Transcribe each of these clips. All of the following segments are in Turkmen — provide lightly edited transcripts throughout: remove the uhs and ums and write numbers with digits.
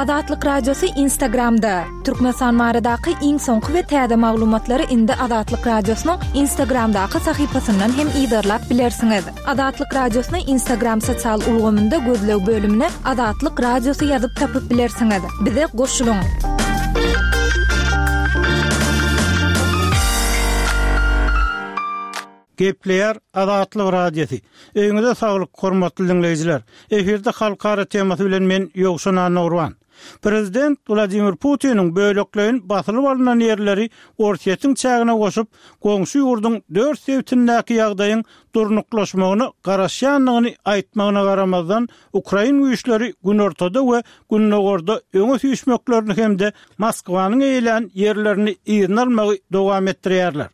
Azatlyk Radiosy Instagramda! Türkmenistan baradaky iň soňky we täze maglumatlary indi Azatlyk Radiosynyň Instagramdaky sahypasyndan hem yzarlap bilersiňiz. Azatlyk Radiosyny Instagram sosial ulgamynda gözleg bölümine Azatlyk Radiosy ýazyp tapyp bilersiňiz. Bize goşulyň! Gepleýär Azatlyk Radiosy. Öýüňize saglyk, hormatly diňleýjiler! Efirde Halkara temasy bilen men Ýowşan Annagurban. Prezident Wladimir Putiniň bölekleýin basylyp alnan ýerleri Orsýetiň çägine goşup, goňşy ýurduň dört sebitindäki ýagdaýyň durnuklaşmagyna garaşýandygyny aýtmagyna garamazdan, ukrain güýçleri günortada we gündogarda öňe süýşmeklerini hem-de Moskwanyň eýelän ýerlerini yzyna almagy dowam etdirýärler.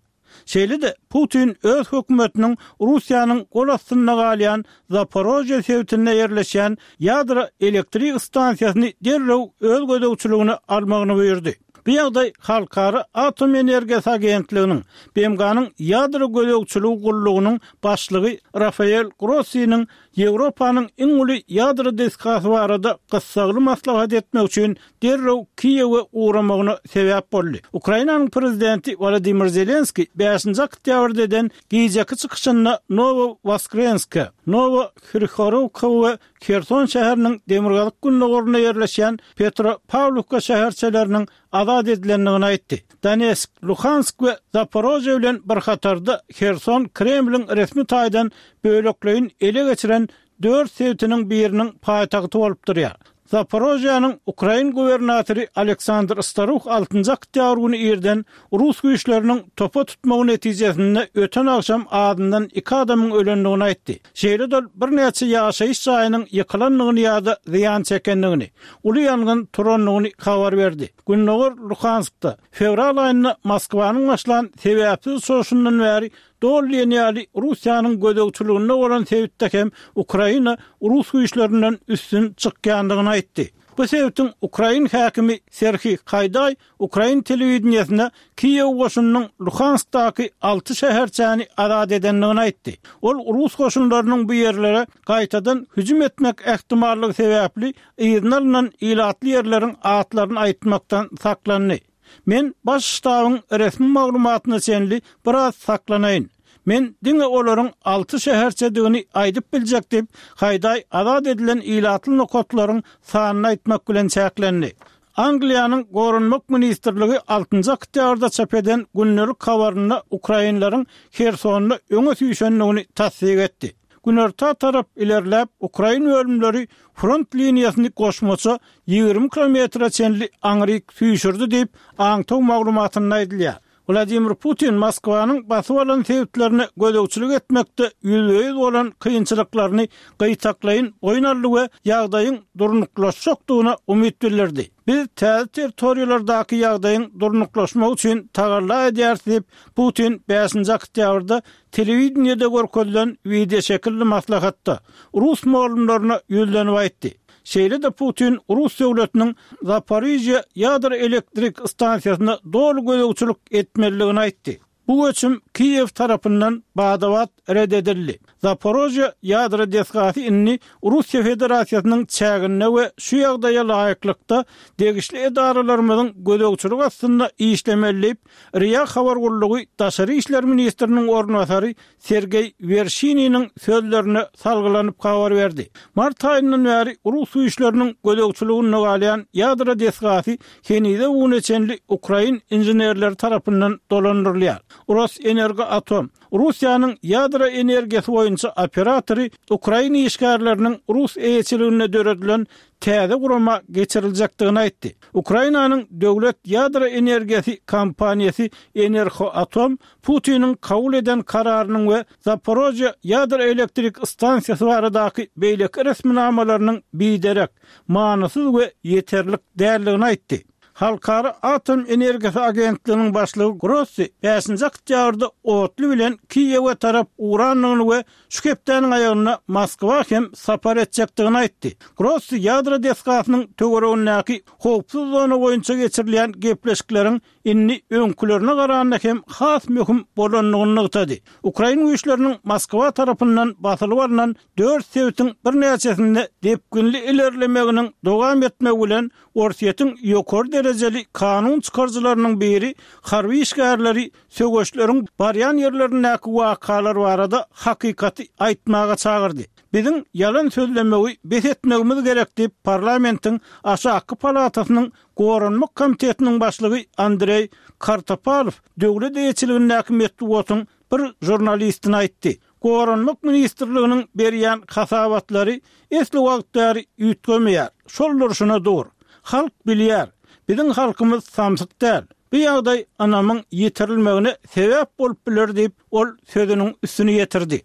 Şeýle-de, Putin öz hökümetiniň Russiýanyň gol astynda galýan Zaporožýe sebitinde ýerleşýän ýadro elektrik stansiýasyny derrew öz gözegçiligine almagyny buýurdy. Bu ýagdaý Halkara atom energiýasy agentliginiň, BMG-niň ýadro gözegçiligi gullugynyň başlygy Rafael Grossiniň Ýewropanyň iň uly ýadro desgasy barada gyssagly maslahat etmek üçin derrew Kiýewe ugramagyna sebäp boldy. Ukrainanyň prezidenti Wolodymyr Zelenskiý bäşinji oktýabrda eden gijeki çykyşynda Nowowoskrenska, Nowohryhorowka we Herson şäheriniň demirgazyk-gündogarynda ýerleşýän Petropawlowka şäherçeleriniň azat edilendigini aýtdy. Donetsk, Luhansk we Zaporožýe bilen bir hatarda Herson Kremliň resmi taýdan bölekleýin ele geçiren dört sebitiniň biriniň paýtagty bolup durýar. Zaporožýäniň ukrain gubernatory Aleksandr Staruh altynjy oktýabr güni irden rus güýçleriniň topa tutmagy netijesinde öten agşam azyndan iki adamyň ölendigini aýtdy. Şeýle-de ol birnäçe ýaşaýyş jaýynyň ýykylandygyny ýa-da zyýan çekendigini, uly ýangyn turandygyny habar berdi. Gündogar Luhanskda, fewral aýynda Moskwanyň başlan sebäpsiz çoşundan bäri doly diýen ýaly Russiýanyň gözegçiliginde bolan sebitde hem Ukraina rus güýçlerinden üstün çykýandygyny aýtdy. Bu sebitiň ukrain häkimi Serhiý Haýdaý ukrain telewideniýesine Kiýew goşunynyň Luhanskdaky alty şäherçäni azat edendigini aýtdy. Ol rus goşunlarynyň bu ýerlere gaýtadan hüjüm etmek ähtimallygy sebäpli yzyna alnan ilatly ýerleriň atlaryny aýtmakdan saklandy. Men Baş ştabyň resmi maglumatyna çenli biraz saklanaýyn. Men diňe olaryň alty şäherçedigini aýdyp biljek diýip, Haýdaý azat edilen ilatly nokatlaryň sanyny aýtmak bilen çäklendi. Angliýanyň Goranmak ministrligi altynjy oktýabrda çap eden gündelik habarynda ukrainleriň Hersonda öňe süýşendigini tassyk etdi. Günorta tarap ilerläp, ukrain bölümleri front liniýasyny goşmaça 20 kilometre çenli aňryk süýşürdi diýip, aňtaw maglumatynda aýdylýar. Wladimir Putin Moskwanyň basyp alan sebitlerine gözegçilik etmekde ýüzbe-ýüz bolan kynçylyklaryny gytaklaýyn boýun aldy we ýagdaýyň durnuklaşjakdygyna umyt bildirdi. Biz täze territoriýalardaky ýagdaýyň durnuklaşmagy üçin tagalla edýäris diýip, Putin bäşinji oktýabrda telewideniýede görkezilen wideoşekilli maslahatda rus mugallymlaryna ýüzlenip aýtdy. Şeýle-de Putin rus döwletiniň Zaporižýa ýadro elektrik stansiýasyna doly gözegçilik etmelidigini aýtdy. Bu göçüm Kiýew tarapyndan bada-bat ret edildi. Zaporožýa ýadro desgasy indi Russiýa Federasiýasynyň çäginde we şu ýagdaýa laýyklykda degişli edaralarymyzyň gözegçiligi astynda işlemeli diýip, RIA habar gullugy daşary işler ministriniň orunbasary Sergeý Werşininiň sözlerine salgylanyp habar berdi. Mart aýyndan bäri rus güýçleriniň gözegçiliginde galýan ýadro desgasy henize-bu güne çenli ukrain inženerleri tarapyndan dolandyrylýar. Rosenergoatom, Russiýanyň ýadro energiýasy boýunça operatory ukrain işgärleriniň rus eýeçiliginde döredilen täze gurama geçiriljekdigini aýtdy. Ukrainanyň döwlet ýadro energiýasy kompaniýasy Enerhoatom Putiniň kabul eden kararynyň we Zaporožýe ýadro elektrik stansiýasy baradaky beýleki resminamalarynyň biderek, manysyz we ýeterlik däldigini aýtdy. Halkara atom energiýasy agentliginiň başlygy Grossi bäşinji oktýabrda otly bilen Kiýewe tarap ugrandygyny we şu hepdäniň aýagynda Moskwa hem sapar etjekdigini aýtdy. Grossi ýadro desgasynyň töweregindäki howpsuz zona boýunça geçirilýän gepleşikleriň indi öňkülerine garanda hem has möhüm bolandygyny nygtady. Ukrain güýçleriniň Moskwa tarapyndan basylyp alnan dört sebitiň birnäçesinde depginli ilerlemeginiň dowam etmegi bilen, Orsýetiň ýokary derejeli kanun çykaryjylarynyň biri harby işgärleri söweşleriň barýan ýerlerindäki wakalar barada hakykaty aýtmaga çagyrdy. Biziň ýalan sözlemegi bes etmegimiz gerek diýip, parlamentiň aşakky palatasynyň Goranmak komitetiniň başlygy Andreý Kartapalow döwlet eýeçiligindäki metbugatyň bir žurnalistine aýtdy. Goranmak ministrliginiň berýän hasabatlary esli wagt bäri üýtgemeýär, şol durşuna dur. Halk bilýär, biziň halkymyz samsyk däl. Bu ýagdaý ynamyň ýitirilmegine sebäp bolup biler diýip, ol sözüniň üstüni ýetirdi.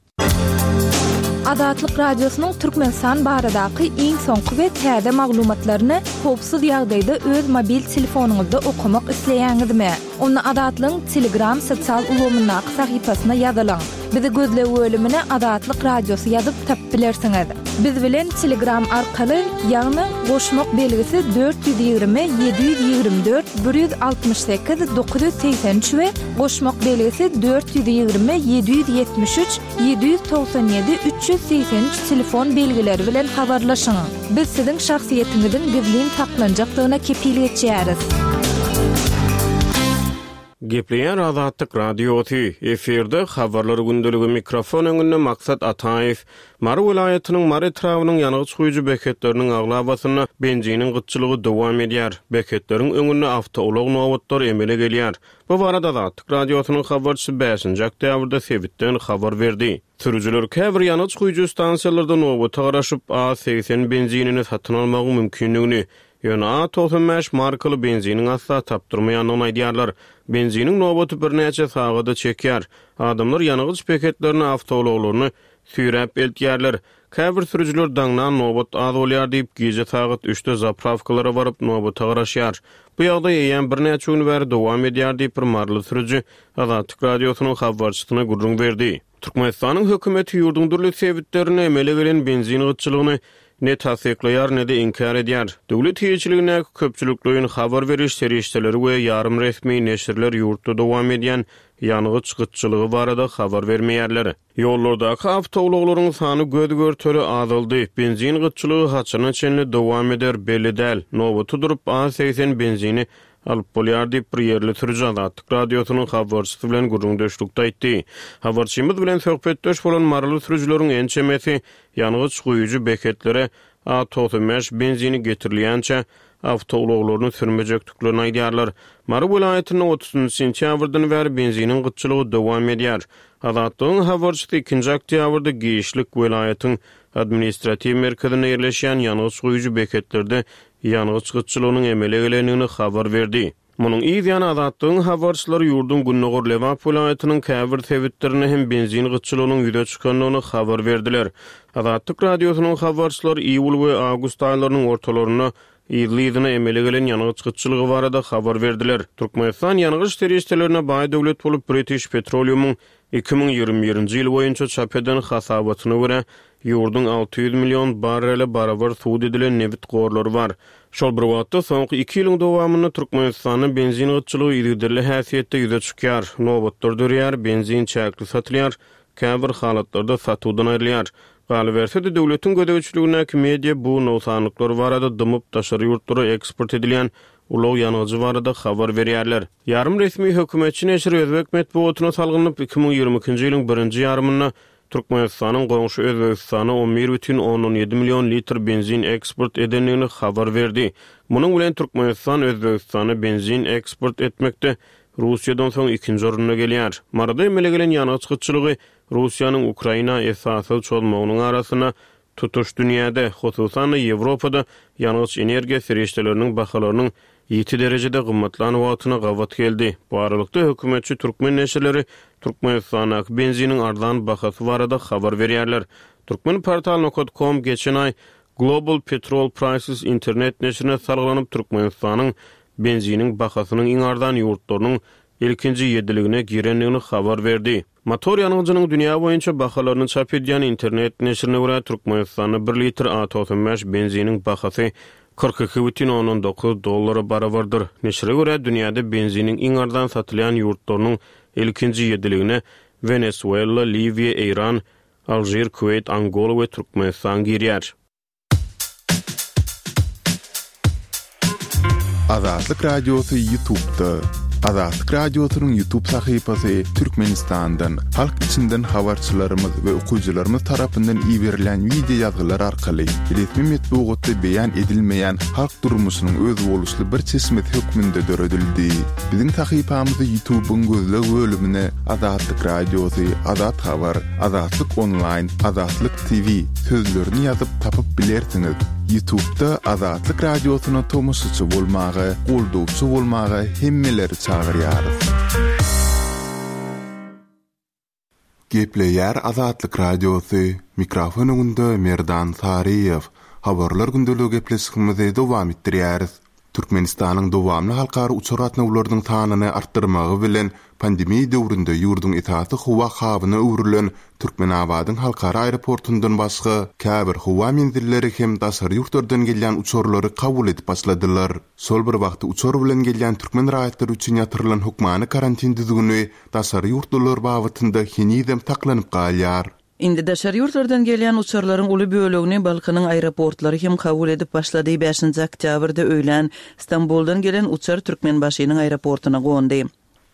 Azatlyk Radiosynyň Türkmenistan baradaky iň soňky we täze maglumatlaryny howpsuz ýagdaýda öz mobil telefonyňyzda okamak isleýäňizmi? Onda Azatlygyň Telegram sosial ulgamyndaky sahypasyna ýazylyň. Bizi gözleg bölümine Azatlyk Radiosy ýazyp tapyp bilersiňiz. Biz bilen Telegram arkaly, ýagny goşmak belgisi 420 724 168 983 we goşmak belgisi 420 773 797 383 telefon belgileri bilen habarlaşyň. Biz siziň şahsyýetiňiziň gizlin saklanjakdygyna kepil geçýäris. Gepleýär Azatlyk Radiosy, efirde Habarlar gündeligi mikrofon öňünde Maksat Ataýew. Mary welaýatynyň Mary etrabynyň ýangyç guýujy beketleriniň aglabasynda benziniň gytçylygy dowam edýär. Beketleriň öňünde awtoulag nobatlary emele gelýär. Bu barada Azatlyk Radiosynyň habarçysy bäşinji oktýabrda sebitden habar berdi. Sürüjiler käbir ýangyç guýujy stansiýalarda nobata garaşyp, A 80 benzinini satyn almagyň mümkindigini, ýöne A 95 markaly benziniň asla tapdyrmaýandygyny aýdýarlar. Benziniň nobaty birnäçe sagada çekýär. Adamlar ýangyç beketlerine awtoulaglaryny süýräp eltýärler. Käbir sürüjiler daňdan nobat az bolýar diýip, gije sagat üçde zaprawkalara baryp, nobata garaşýar. Bu ýagdaý eýýäm birnäçe gün bäri dowam edýär diýip, bir maryly sürüji Azatlyk Radiosynyň habarçysyna gürrüň berdi. Türkmenistanyň hökümeti ýurduň dürli sebitlerinde emele gelen benzin gytçylygyny ne tassyklaýar, ne-de inkär edýär. Döwlet eýeçiligindäki köpçülikleýin habar beriş serişdeleri we ýarym resmi neşirler ýurtda dowam edýän ýangyç gytçylygy barada habar bermeýärler. Ýollardaky awtoulaglaryň sany göz-görtele azaldy. Benzin gytçylygy haçana çenli dowam eder, belli däl. Nobata durup, A 80 benzini alyp bolýar diýip, bir ýerli sürüji Azatlyk Radiosynyň habarçysy bilen gürrüňdeşlikde aýtdy. Habarçymyz bilen söhbetdeş bolan maryly sürüjileriň ençemesi ýangyç guýujy beketlere A 95 benzini getirilýänçä awtoulaglaryny sürmejekdiklerini aýdýarlar. Mary welaýatynda otuzynjy sentýabrdan bäri benziniň gytçylygy dowam edýär. Azatlygyň habarçysy ikinji oktýabrda giçlik welaýatyň administratiw merkezinde ýerleşýän ýangyç guýujy beketlerde ýangyç gytçylygynyň emele gelendigini habar berdi. Munuň yz ýany Azatlygyň habarçylary ýurduň gündogar Lebap welaýatynyň käbir sebitlerinde hem benzin gytçylygynyň ýüze çykandygyny habar berdiler. Azatlyk Radiosynyň habarçylary iýul we awgust aýlarynyň ortalarynda yzly-yzyna emele gelen ýangyç gytçylygy barada habar berdiler. Türkmenistan ýangyç serişdelerine baý döwlet bolup, British Petroleum-yň 2021-nji ýyl boýunça çap eden hasabatyna görä, ýurduň 600 million barrele barabar subut edilen nebit gorlary bar. Şol bir wagtda, soňky iki ýylyň dowamynda Türkmenistanda benzin gytçylygy yzygiderli häsiýetde ýüze çykýar, nobatlar döreýär, benzin çäkli satylýar, käbir halatlarda satuwdan aýrylýar. Galyberse-de, döwletiň gözegçiligindäki media bu nogsanlyklar barada dymyp, daşary ýurtlara eksport edilýän ulag ýangyjy barada habar berýärler. Ýarym resmi hökümetçi neşir özbek metbugatyna salgylanyp, 2022-nji ýylyň birinji ýarymynda Türkmenistanyň goňşy Özbegistana 11,7 million litr benzin eksport edendigini habar berdi. Munuň bilen Türkmenistan Özbegistana benzin eksport etmekde Russiýadan soň ikinji orunda gelýär. Maryda emele gelen ýangyç gytçylygy Russiýanyň Ukraina esassyz çozmagynyň arasynda tutuş dünýäde, hususan-da Ýewropada ýangyç-energiýa serişdeleriniň bahalarynyň ýiti derejede gymmatlan wagtyna gabat geldi. Bu aralykda, hökümetçi türkmen neşirleri Türkmenistandaky benziniň arzan bahasy barada habar berýärler. Turkmenportal nokat kom geçen aý Global Petrol Prices internet neşirine salgylanyp, Türkmenistanyň benziniň bahasynyň iň arzan ýurtlarynyň ilkinji ýediligine girendigini habar berdi. Motor ýangyjynyň dünýä boýunça bahalaryny çap edýän internet neşirine görä, Türkmenistanda bir litr A 95 benziniň bahasy. 42,9 dollara barabardyr. Neşire görä, dünýäde benziniň iň arzan satylýan ýurtlarynyň ilkinji ýediligine Wenesuela, Liwiýa, Eýran, Alžir, Kuweýt, Angola we Türkmenistan girýär. Azatlyk Radiosy Ýutubda. Azatlyk Radiosynyň Ýutub sahypasy Türkmenistandan, halk içinden habarçylarymyz we okyjylarymyz tarapyndan iberilen wideo ýazgylar arkaly resmi metbugatda beýan edilmeýän halk durmuşynyň özboluşly bir çeşmesi hökmünde döredildi. Biziň sahypamyzy Ýutubyň gözleg bölümine Azatlyk Radiosy, Azat Habar, Azatlyk Onlaýn, Azatlyk TV sözlerini ýazyp tapyp bilersiňiz. Ýutubda Azatlyk Radiosyna tomaşaçy bolmaga, goldawçy bolmaga hemmeleri çagyrýarys. Gepleýär Azatlyk Radiosy, mikrofon öňünde Merdan Saryýew. Habarlar gündeligi gepleşigimizi dowam etdirýäris. Türkmenistanyň dowamly halkara uçar gatnawlarynyň sanyny artdyrmagy bilen, pandemiýa döwründe ýurduň esasy howa habyna öwrülen Türkmenabadyň halkara aeroportundan başga, käbir howa menzilleri hem daşary ýurtlardan gelýän uçarlary kabul edip başladylar. Şol bir wagtda uçar bilen gelýän türkmen raýatlary üçin ýatyrylan hökmany karantin düzgüni daşary ýurtlular babatynda henizem saklanyp galýar. Indi daşary ýurtlardan gelýän uçarlaryň uly bölegini Balkanyň aeroportlary hem kabul edip başlady. Bäşinji oktýabrda öýlän Stambuldan gelen uçar Türkmenbaşynyň aeroportuna gondy.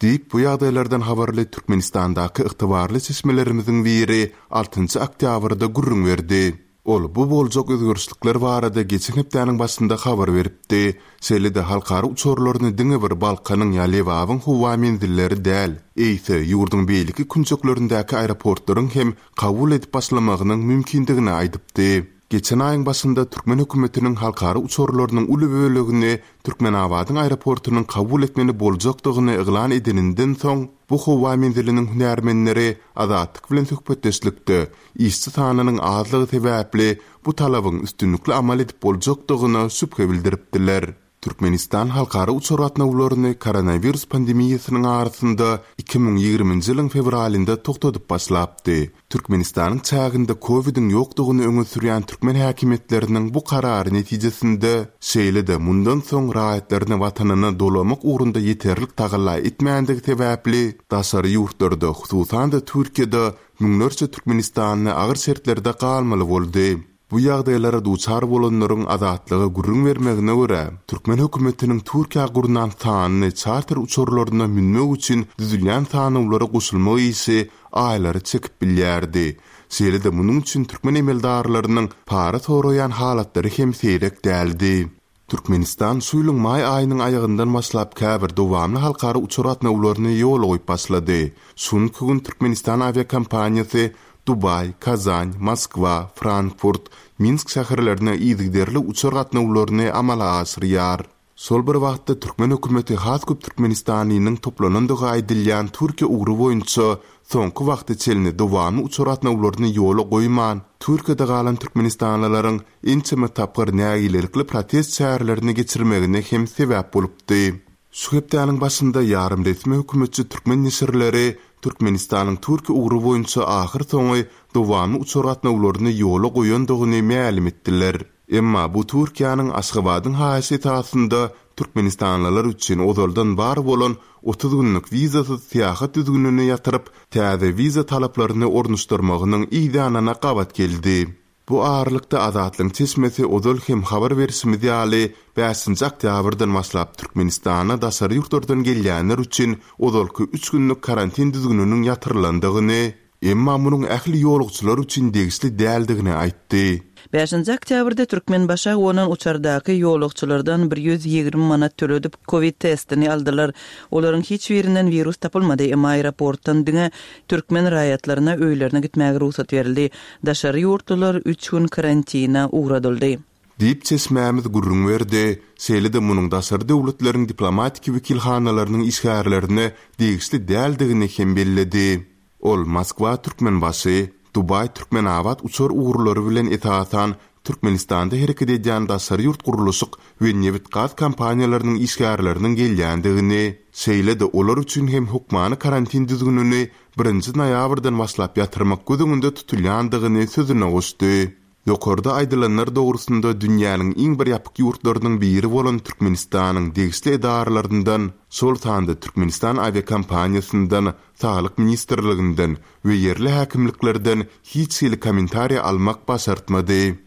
Diýip, bu ýagdaýlardan habarly Türkmenistandaky ygtybarly çeşmelerimiziň biri altynjy oktýabrda gürrüň berdi. Ol bu boljak özgerişlikler barada geçen hepdäniň başynda habar beripdi. Şeýle-de halkara uçarlaryny diňe bir Balkanyň ýa Lebabyň howa menzilleri däl, eýse, ýurduň beýleki künjeklerindäki aeroportlaryň hem kabul edip başlamagynyň mümkindigini aýdypdy. Geçen aýyň başynda türkmen hökümetiniň halkara uçarlarynyň uly bölegini Türkmenabadyň aeroportunyň kabul etmeli boljakdygyny yglan edeninden soň, bu howa menziliniň hünärmenleri Azatlyk bilen söhbetdeşlikde Işçi sanynyň azlygy sebäpli bu talabyň üstünlikli amal edip boljakdygyna şübhe bildiripdiler. Türkmenistan halkara uçar gatnawlaryny koronawirus pandemiýasynyň arasynda 2020-nji ýylyň fewralynda togtadyp başlapdy. Türkmenistanyň çäginde kowidiň ýokdugyny öňe sürýän türkmen häkimiýetleriniň bu karary netijesinde, şeýle-de mundan soň raýatlaryny watanyna dolamak ugrunda ýeterlik tagalla etmändigi sebäpli, daşary ýurtlarda, hususan-da Türkiýede Müňlerçe türkmenistanly agyr şertlerde galmaly boldy. Bu ýagdaýlara duçar bolanlaryň Azatlyga gürrüň bermegine görä, türkmen hökümetiniň Türkiýä gurnan sanly çarter uçarlaryna münmek üçin düzülýän sanawlara goşulmak işi aýlary çekip bilýärdi. Şeýle-de munuň üçin türkmen emeldarlarynyň para soraýan halatlary hem seýrek däldi. Türkmenistan şu ýylyň maý aýynyň aýagyndan başlap käbir dowamly halkara uçar gatnawlaryny ýola goýup başlady. Şu günki gün Türkmenistan awiakompaniýasy Dubaý, Kazan, Moskwa, Frankfurt, Minsk şäherlerine yzygiderli uçar gatnawlaryny amala aşyrýar. Şol bir wagtda türkmen hökümeti has köp türkmenistanlynyň toplanandygy aýdylýan Türkiýe ugry boýunça soňky wagta çenli dowamly uçar gatnawlaryny ýola goýman, Türkiýede galan türkmenistanlylaryň ençeme tapgyr nägilelikli protest çärelerini geçirmegine hem sebäp bolupdy. Şu hepdäniň başynda ýarym resmi hökümetçi türkmen neşirleri Türkmenistanyň Türkiýe ugry boýunça ahyrsoňy dowamly uçar gatnawlaryny ýola goýandygyny mälim etdiler. Emma bu Türkiýäniň Aşgabadyň haýyşy esasynda türkmenistanlylar üçin ozaldan bar bolan 30 günlük wizasyz syýahat düzgünini ýatyryp, täze wiza talaplaryny ornaşdyrmagynyň yzýanyna gabat geldi. Bu aralykda Azatlygyň çeşmesi ozal hem habar berşimiz ýaly, bäşinji oktýabrdan başlap Türkmenistana daşary ýurtlardan gelýänler üçin ozalky üç günlük karantin düzgüniniň ýatyrylandygyny, emma munuň ähli ýolagçylar üçin degişli däldigini aýtdy. Bäşinji oktýabrda Türkmenbaşa gonan uçardaky ýolagçylardan 120 manat töledip, kowid testini aldylar. Olaryň hiç birinden wirus tapylmady, emma aeroportdan diňe türkmen raýatlaryna öýlerine gitmäge rugsat berildi. Daşary ýurtlular üç gün karantina ugradyldy. Diýip, çeşmämiz gürrüň berdi. Şeýle-de munuň daşary döwletleriň diplomatiki wekilhanalarynyň işgärlerine degişli däldigini hem belledi. Ol Moskwa-Türkmenbaşy, Dubaý-Türkmenabat uçar ugurlary bilen esasan Türkmenistanda hereket edýän daşary ýurt gurluşyk we nebit-gaz kompaniýalarynyň işgärleriniň gelýändigini, şeýle-de olar üçin hem hökmany karantin düzgünini birinji noýabrdan başlap ýatyrmak göz öňünde tutulýandygyny sözüne goşdy. Ýokarda aýdylanlar dogrusynda dünýäniň iň bir ýapyk ýurtlarynyň biri bolan Türkmenistanyň degişli edaralaryndan, şol sanda Türkmenistan awiakompaniýasyndan, Saglyk ministrliginden we ýerli häkimliklerden hiç hili kommentariý almak başartmady.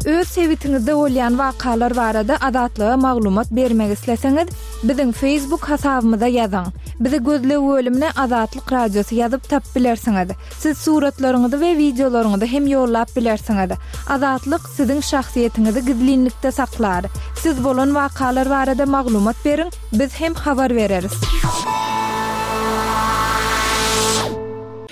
Öz sebitiňizde bolýan wakalar barada Azatlyga maglumat bermek isleseňiz, biziň Facebook hasabymyza ýazyň. Bizi gözleg bölümine Azatlyk Radiosy ýazyp tapyp bilersiňiz. Siz suratlaryňyzy we wideolaryňyzy hem ýollap bilersiňiz. Azatlyk siziň şahsyýetiňizi gizlinlikde saklar. Siz bolan wakalar barada maglumat beriň, biz hem habar bereris.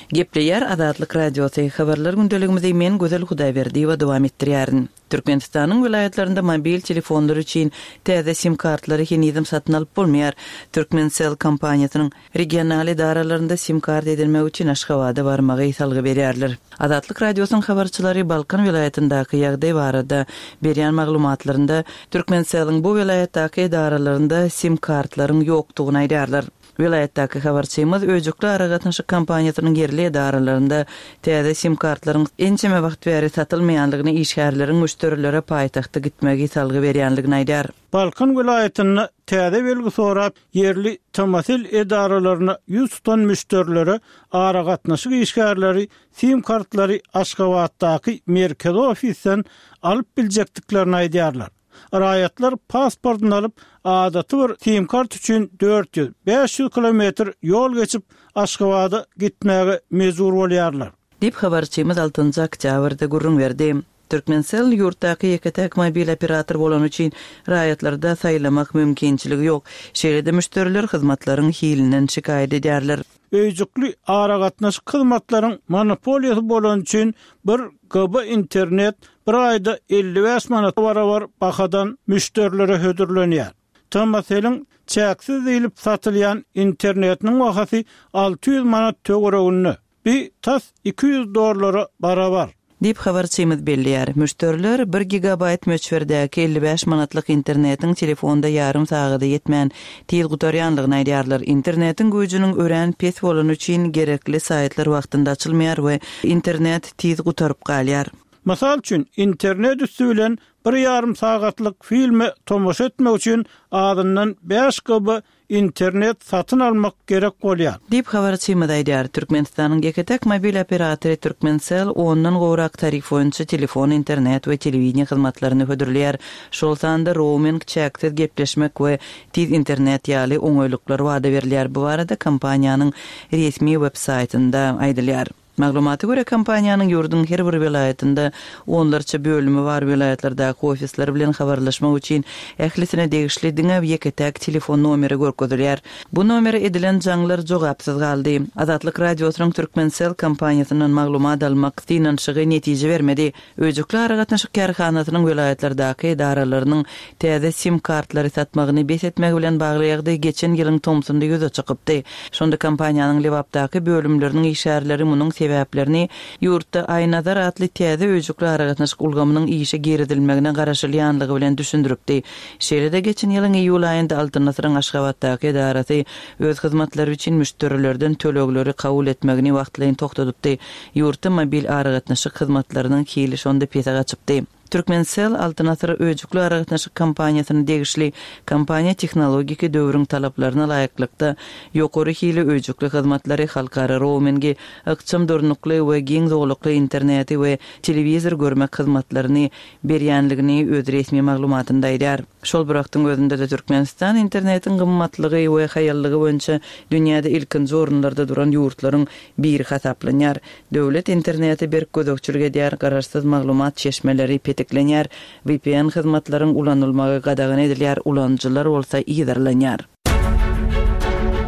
Gepleýär Azatlyk Radiosy, Habarlar gündeligimizi men Gözel Hudaýberdiýewa dowam etdirýärin. Türkmenistanyň welaýatlarynda mobil telefonlar üçin täze sim-kartlary henizem satyn alyp bolmaýar. Turkmencell kompaniýasynyň regional edaralarynda sim-kart edinmek üçin Aşgabada barmagy salgy berýärler. Azatlyk Radiosynyň habarçylary Balkan welaýatyndaky ýagdaý barada berýän maglumatlarynda Turkmencelliň bu welaýatdaky edaralarynda sim-kartlaryň ýokdugyny aýdýarlar. Welaýatdaky habarçymyz öýjükli aragatnaşyk kompaniýasynyň ýerli edaralarynda täze sim-kartlaryň ençeme wagt bäri satylmaýandygyny, işgärleriň müşderilere paýtagta gitmegi salgy berýändigini aýdýar. Balkan welaýatynda täze belgi sorap ýerli TMSL edaralaryna ýüz tutan müşderilere aragatnaşyk işgärleri sim-kartlary Aşgabatdaky merkezi ofisden alyp biljekdiklerini aýdýarlar. Raýatlar pasportyny alyp, adaty bir sim-kart üçin 400, 500 kilometr ýol geçip, Aşgabada gitmäge mejbur bolýarlar. Diýip, habarçymyz altynjy oktýabrda gürrüň berdi. Turkmencell ýurtdaky ýeke-täk mobil operator bolany üçin raýatlarda saýlamak mümkinçiligi ýok. Şeýle-de müşderiler hyzmatlaryň hilinden şikaýat edýärler. Öýjükli aragatnaşyk hyzmatlaryň monopoliýasy bolany üçin bir GB internet bir aýda 55 manata barabar bahadan müşderilere hödürlenýär. TMSL-iň çäksiz diýlip satylýan internetiniň bahasy 600 manat töwereginde. Bi tas 200 dollara barabar. Diýip, habarçymyz belleýär. Müşderiler bir gigabaýt möçberdäki 55 manatlyk internetiň telefonda ýarym sagada ýetmän, tiz gutarýanlygyny aýdýarlar. Internetiň güýjüniň örän pes bolany üçin gerekli saýtlar wagtynda açylmaýar we internet tiz gutaryp galýar. Mysal üçin, internet üsti bilen bir ýarym sagatlyk filme tomaşa etmek üçin azyndan bäş GB internet satyn almak gerek bolýar. Diýip, habarçymyz aýdýar. Türkmenistanyň ýeke-täk mobil operatory Turkmencell ondan gowrak tarif boýunça telefon, internet we telewideniýe hyzmatlaryny hödürleýär. Şol sanda rouming, çäksiz gepleşmek we tiz internet ýaly oňaýlyklar wada berilýär. Bu barada kompaniýanyň resmi web-saýtynda aýdylýar. Maglumata görä, kompaniýanyň ýurduň her bir welaýatynda onlarça bölümi bar, welaýatlardaky ofisler bilen habarlaşmak üçin ählisine degişli diňe ýeke-täk telefon nomeri görkezilýär. Bu nomere edilen jaňlar jogapsyz galdy. Azatlyk Radiosynyň Turkmencell kompaniýasyndan maglumat almak synanyşygy netije bermedi. Öýjükli aragatnaşyk kärhanasynyň welaýatlardaky edaralarynyň täze sim-kartlary satmagyny bes etmegi bilen bagly ýagdaý geçen ýylyň tomsunda ýüze çykypdy. Şonda kompaniýanyň Lebapdaky bölümleriniň işgärleri munuň sebäplerini ýurtda Aýnazar atly täze öýjükli aragatnaşyk ulgamynyň işe girizilmegine garaşylýanlygy bilen düşündiripdi. Şeýle-de geçen ýylyň iýul aýynda Altyn asyryň Aşgabatdaky edarasy öz hyzmatlary üçin müşderilerden tölegleri kabul etmegini wagtlaýyn togtadypdy. Ýurtda mobil aragatnaşyk hyzmatlarynyň hili şonda pese gaçypdy. Turkmencell Altyn asyr öýjükli aragatnaşyk kompaniýasyna degişli kompaniýa tehnologiki döwrüň talaplaryna laýyklykda ýokary hili öýjükli hyzmatlary, halkara roumingi, ykjam durnukly we giň zolakly interneti we telewizor görmek hyzmatlaryny berýänligini öz resmi maglumatynda aýdýar. Şol bir wagtyň özünde-de Türkmenistan internetiň gymmatlygy we haýallygy boýunça dünýäde ilkinji orunlarda duran ýurtlaryň biri hasaplanýar. Döwlet internete berk gözegçilik edýär, garaşsyz maglumat çeşmeleri petiklenýär, vpn hyzmatlaryň ulanylmagy gadagan edilýär, ulanyjylar bolsa yzarlanýar.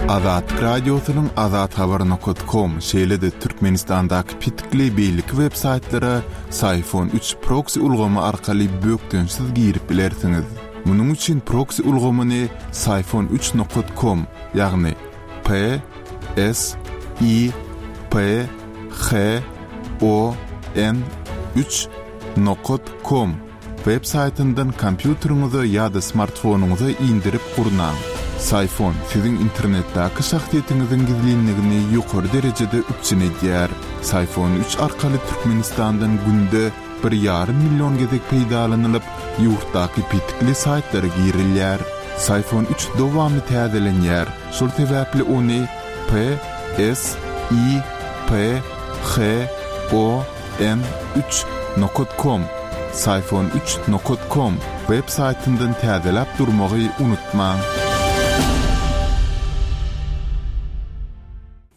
Azatlyk Radiosynyň Azathabar nokat kom, şeýle-de Türkmenistandaky petikli beýleki web-saýtlara Syfon üç proksi ulgamy arkaly bökdençsiz girip bilersiňiz. Munuň üçin proksi ulgamyny Syfon üç nokat kom, ýagny P S I P H O N üç nokat kom web saýtyndan kompýuteriňize ýa-da smartfonyňyza indirip gurnaň. Syfon siziň internetdäki şahsyýetiňiziň gizlinligini ýokary derejede üpjün edýär. Syfon üç arkaly Türkmenistandan günde bir ýarym million gezek peýdalanylyp, ýurtdaky petikli saýtlara girilýär. Syfon üç dowamly täzelenýär, şol sebäpli ony P S I P H O N üç nokat kom, Syfon üç nokat kom, web saýtyndan täzeläp durmagy unutmaň.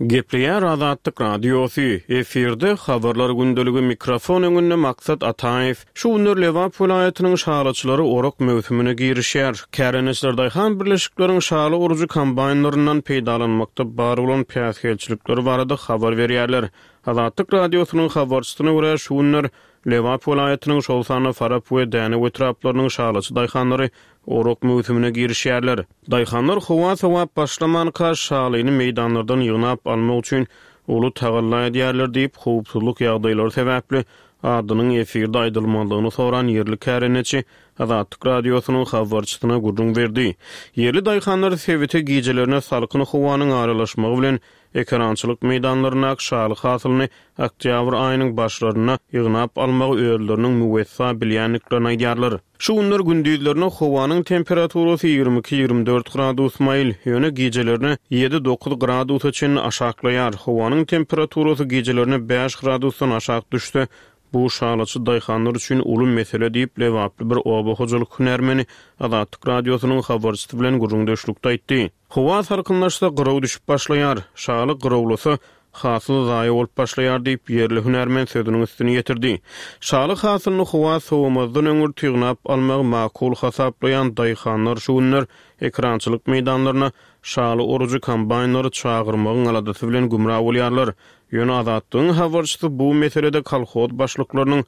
Gepleýär Azatlyk Radiosy, efirde Habarlar gündeligi mikrofon öňünde Maksat Ataýew. Şu günler Lebap welaýatynyň şalyçylary orak möwsümine girişýär. Kärendeçiler daýhan birleşikleriň şaly orujy kombaýnlaryndan peýdalanmakda bar bolan päsgelçilikler barada habar berýärler. Azatlyk Radiosynyň habarçysyna görä, şu günler Lebap welaýatynyň, şol sanda Farap we Dänew etraplarynyň şalyçy daýhanlary orak möwsümine girişýärler. Daýhanlar howa sowap başlamanka, şalyny meýdanlardan ýygnap almak üçin uly tagalla edýärler diýip, howpsuzlyk ýagdaýlary sebäpli adynyň efirde aýdylmazlygyny soran ýerli kärendeçi Azatlyk Radiosynyň habarçysyna gürrüň berdi. Ýerli daýhanlar sebite gijelerine salkyn howanyň aralaşmagy bilen ekerançylyk meýdanlaryndaky şaly hasylyny oktýabr aýynyň başlarynda ýygnap almagy özleriniň müwessa bilýändiklerini aýdýarlar. Şu günler gündizlerine howanyň temperaturasy 22, 24 gradus maýyl, ýöne gijelerine ýedi, dokuz gradusa çenli aşaklaýar. Howanyň temperaturasy gijelerine bäş gradusdan aşak düşse, bu şalyçy daýhanlar üçin uly mesele diýip, lebaply bir oba hojalyk hünärmeni Azatlyk Radiosynyň habarçysy bilen gürrüňdeşlikde aýtdy. Howa salkynlaşsa, gyraw düşüp başlaýar. Şaly gyrawlasa, hasyl zaýa bolup başlaýar diýip, ýerli hünärmen sözüniň üstüni ýetirdi. Şaly hasylyny howa sowamazdan öňürti ýygnap almagy makul hasaplaýan daýhanlar şu günler ekerançylyk meýdanlaryna şaly orujy kombaýnlary çagyrmagyň aladasy bilen gümra bolýarlar. Ýöne Azatlygyň habarçysy bu meselede kolhoz başlyklarynyň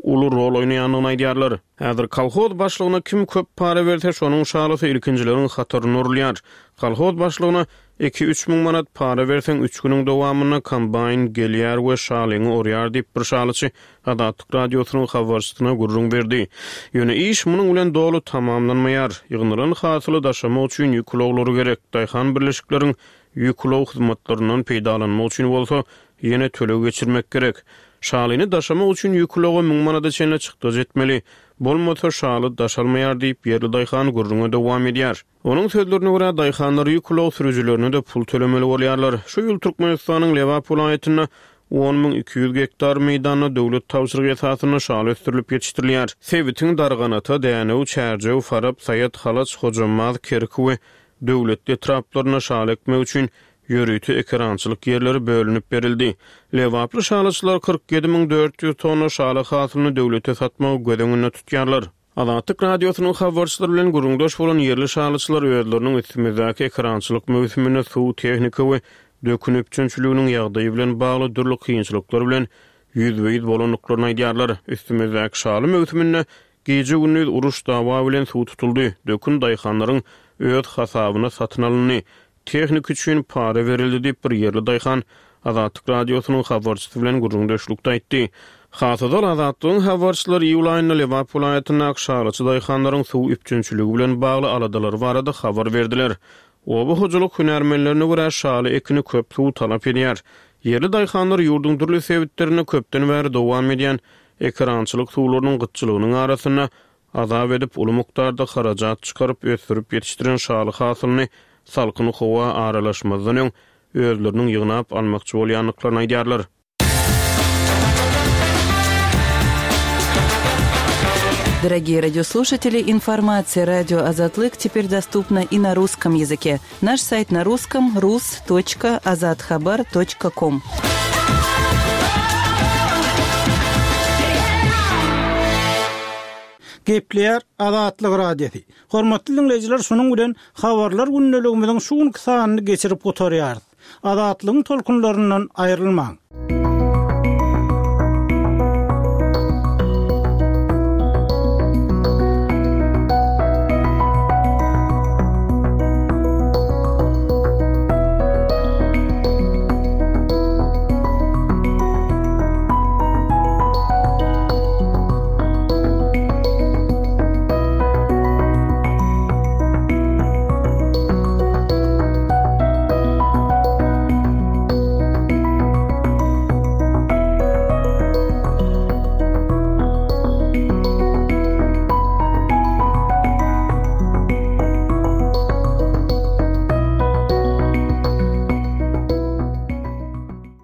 uly rol oýnaýandygyny aýdýarlar. Häzir kolhoz başlygyna kim köp para berse, şonuň şalysy ilkinjileriň hatarynda urulýar. Kolhoz başlygyna iki-üç müň manat para berseň, üç günüň dowamynda kombaýn gelýär we şalyňy orýar diýip, bir şalyçy Azatlyk Radiosynyň habarçysyna gürrüň berdi. Ýöne iş munuň bilen doly tamamlanmaýar. Ýygnalan hasyly daşamak üçin ýük ulaglary gerek. Daýhan birleşikleriň Ýük ulag hyzmatlaryndan peýdalanmak üçin bolsa, ýene töleg geçirmek gerek. Şalyny daşamak üçin ýük ulaga müň manada çenli çykdajy etmeli. Bolmasa, şaly daşalmaýar diýip, ýerli daýhan gürrüňe dowam edýär. Onuň sözlerine görä, daýhanlar ýük ulag sürüjilerine-de pul tölemeli bolýarlar. Şu ýyl Türkmenistanyň Lebap welaýatynda 10 200 gektar meýdanda döwlet tabşyrygy esasynda şaly ösdürilip ýetişdirilýär. Sebitiň Darganata, Dänew, Çärjew, Farap, Saýat, Halaç, Hojambaz, Kerki we Döwletli etraplarynda şaly ekmek üçin ýörite ekerançylyk ýerleri bölünip berildi. Lebaply şalyçylar 47 400 tonna şaly hasylyny döwlete satmagy göz öňünde tutýarlar. Azatlyk Radiosynyň habarçylary bilen gürrüňdeş bolan ýerli şalyçylar özleriniň üstümizdäki ekerançylyk möwsüminde suw, tehnika we dökün üpjünçiliginiň ýagdaýy bilen bagly dürli kynçylyklar bilen ýüzbe-ýüz bolandyklaryny aýdýarlar. Üstümizdäki şaly möwsüminde Gije-gündiz uruş-dawa bilen suw tutuldy, dökün daýhanlaryň öz hasabyna satyn alyndy, tehnika üçin para berildi diýip, bir ýerli daýhan Azatlyk Radiosynyň habarçysy bilen gürrüňdeşlikde aýtdy. Has ozal Azatlygyň habarçylary iýul aýynda Lebap welaýatyndaky şalyçy daýhanlaryň suw üpjünçiligi bilen bagly aladalary barada habar berdiler. Oba hojalyk hünärmenlerine görä, şaly ekini köp suw talap edýär. Ýerli daýhanlar ýurduň dürli sebitlerinde köpden bäri dowam edýän ekerançylyk suwlarynyň gytçylygynyň arasynda azap edip, uly mukdarda harajat çykaryp ösdürip ýetişdiren şaly hasylyny salkyn howa aralaşmazdan öň özleriniň ýygnap almakçy bolýandyklaryny aýdýarlar. Дорогие радиослушатели, информация радио Азатлык теперь доступна и на русском языке. Наш сайт на русском rus.azathabar.com. Gepleýär Azatlyk Radiosy. Hormatly diňleýjiler, şunuň bilen Habarlar gündeligimiziň şu günki sanyny geçirip gutarýarys. Azatlygyň tolkunlaryndan aýrylmaň!